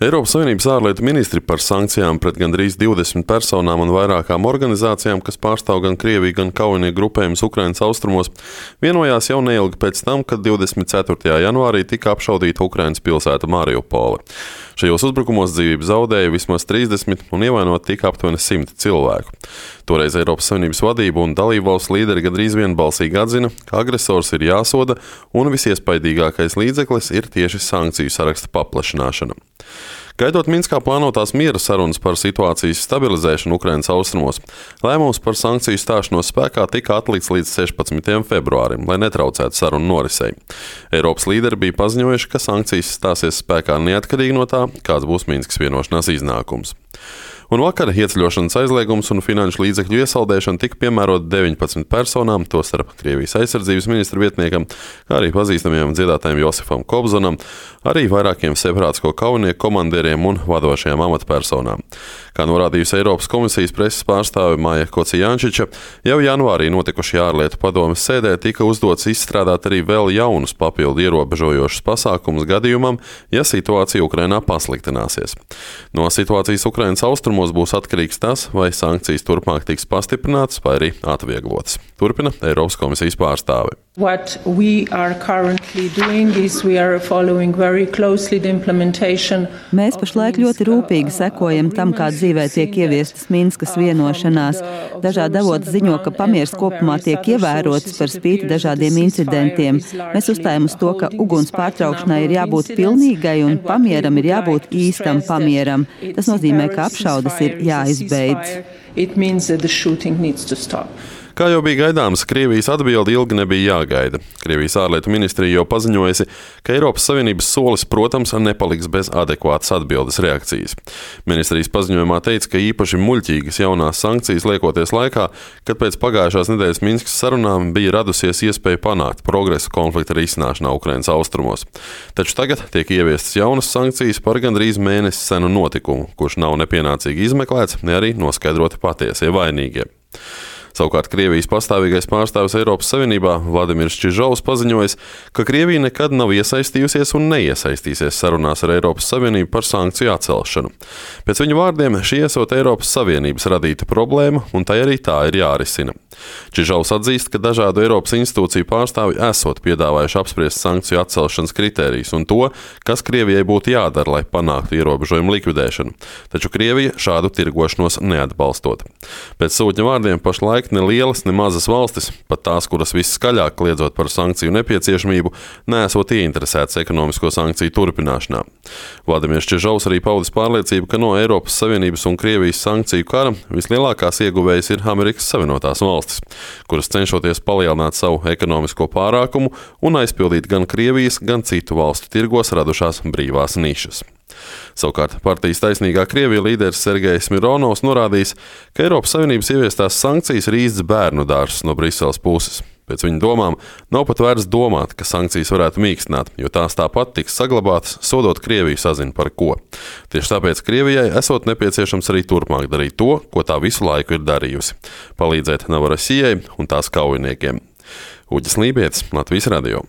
Eiropas Savienības ārlietu ministri par sankcijām pret gandrīz 20 personām un vairākām organizācijām, kas pārstāv gan Krieviju, gan kaujinieku grupējumus Ukrainas austrumos, vienojās jau neilgi pēc tam, kad 24. janvārī tika apšaudīta Ukrainas pilsēta Mariupole. Šajos uzbrukumos dzīvību zaudēja vismaz 30 un ievainot tika aptuveni 100 cilvēku. Toreiz Eiropas Savienības vadība un dalībvalstu līderi gandrīz vienbalsīgi atzina, ka agresors ir jāsoda un visiespaidīgākais līdzeklis ir tieši sankciju saraksta paplašināšana. Gaidot Minskā plānotās miera sarunas par situācijas stabilizēšanu Ukrainas austrumos, lēmums par sankciju stāšanos spēkā tika atlikts līdz 16. februārim, lai netraucētu sarunu norisei. Eiropas līderi bija paziņojuši, ka sankcijas stāsies spēkā neatkarīgi no tā, kāds būs Minskas vienošanās iznākums. Un vakar ieceļošanas aizliegums un finanšu līdzekļu iesaldēšana tika piemērota 19 personām, tostarp Krievijas aizsardzības ministra vietniekam, kā arī pazīstamajam dziedātājam Josifam Kobzonam, arī vairākiem separātisko kaujinieku komandieriem un vadošajām amatpersonām. Kā norādījusi Eiropas komisijas preses pārstāve Maija Kocijančiča, jau janvārī notikušajā ārlietu padomes sēdē tika uzdots izstrādāt arī vēl jaunus papildu ierobežojošus pasākumus gadījumam, ja situācija Ukrainā pasliktināsies. No situācijas Ukrainas austrumos būs atkarīgs tas, vai sankcijas turpmāk tiks pastiprinātas vai arī atvieglotas. Turpina Eiropas komisijas pārstāve. What we are currently doing is we are following very closely the implementation. Mēs pašlaik ļoti rūpīgi sekojam tam, kā dzīvē tiek ieviestas Minskas vienošanās. Dažādi avoti ziņo, ka pamieris kopumā tiek ievērots par spīti dažādiem incidentiem. Mēs uzstājam uz to, ka uguns pārtraukšanai ir jābūt pilnīgai un pamieram ir jābūt īstam pamieram. Tas nozīmē, ka apšaudes ir jāizbeidz. It means that the shooting needs to stop. Kā jau bija gaidāms, Krievijas atbilde ilgi nebija jāgaida. Krievijas ārlietu ministrija jau paziņojusi, ka Eiropas Savienības solis, protams, nepaliks bez adekvātas atbildes reakcijas. Ministrijas paziņojumā teica, ka īpaši muļķīgas jaunās sankcijas liekoties laikā, kad pēc pagājušās nedēļas Minskas sarunām bija radusies iespēja panākt progresu konflikta risināšanā Ukrainas austrumos. Taču tagad tiek ieviestas jaunas sankcijas par gandrīz mēnesi senu notikumu, kurš nav nepienācīgi izmeklēts, ne arī noskaidroti patiesie vainīgie. Savukārt Krievijas pastāvīgais pārstāvis Eiropas Savienībā Vladimirs Čižovs paziņojis, ka Krievija nekad nav iesaistījusies un neiesaistīsies sarunās ar Eiropas Savienību par sankciju atcelšanu. Pēc viņa vārdiem šī esot Eiropas Savienības radīta problēma, un tai arī tā ir jārisina. Čižovs atzīst, ka dažādu Eiropas institūciju pārstāvi esot piedāvājuši apspriest sankciju atcelšanas kritērijus un to, kas Krievijai būtu jādara, lai panāktu ierobežojumu likvidēšanu. Taču Krievija šādu tirgošanos neatbalstot. Pēc sūtņa vārdiem pašlaik ne lielas, ne mazas valstis, pat tās, kuras visskaļāk kliedzot par sankciju nepieciešamību, neesot ieinteresētas ekonomisko sankciju turpināšanā. Vladimirs Čižovs arī paudis pārliecību, ka no Eiropas Savienības un Krievijas sankciju kara vislielākās ieguvējas ir Amerikas Savienotās valstis, kuras cenšoties palielināt savu ekonomisko pārākumu un aizpildīt gan Krievijas, gan citu valstu tirgos radušās brīvās nišas. Savukārt partijas Taisnīgā Krievija līderis Sergejs Mironovs norādījis, ka Eiropas Savienības ieviestās sankcijas ir īsts bērnu dārzs no Briseles puses. Pēc viņa domām nav pat vērts domāt, ka sankcijas varētu mīkstināt, jo tās tāpat tiks saglabātas, sodot Krieviju sazin par ko. Tieši tāpēc Krievijai esot nepieciešams arī turpmāk darīt to, ko tā visu laiku ir darījusi – palīdzēt Novorosijai un tās kaujiniekiem. Uģis Lībietis, Latvijas radio.